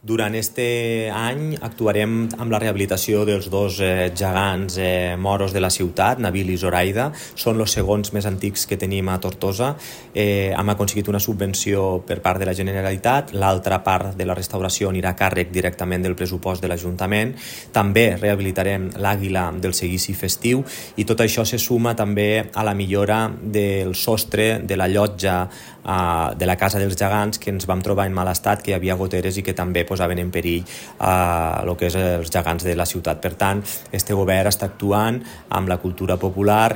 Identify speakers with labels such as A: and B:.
A: Durant este any actuarem amb la rehabilitació dels dos gegants moros de la ciutat, Nabil i Zoraida. Són els segons més antics que tenim a Tortosa. Hem aconseguit una subvenció per part de la Generalitat, l'altra part de la restauració anirà a càrrec directament del pressupost de l'Ajuntament. També rehabilitarem l'àguila del seguici festiu i tot això se suma també a la millora del sostre de la llotja de la Casa dels Gegants, que ens vam trobar en mal estat, que hi havia goteres i que també posaven en perill el que és els gegants de la ciutat. Per tant, este govern està actuant amb la cultura popular